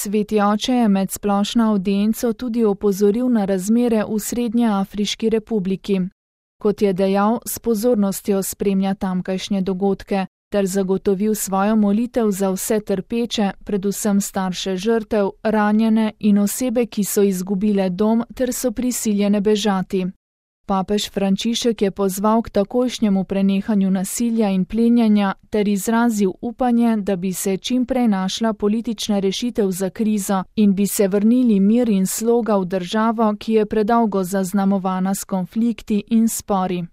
Sveti oče je med splošno avdienco tudi opozoril na razmere v Srednjeafriški republiki. Kot je dejal, s pozornostjo spremlja tamkajšnje dogodke, ter zagotovil svojo molitev za vse trpeče, predvsem starše žrtev, ranjene in osebe, ki so izgubile dom ter so prisiljene bežati. Papež Frančišek je pozval k takojšnjemu prenehanju nasilja in plenjanja ter izrazil upanje, da bi se čim prej našla politična rešitev za krizo in bi se vrnili mir in sloga v državo, ki je predolgo zaznamovana s konflikti in spori.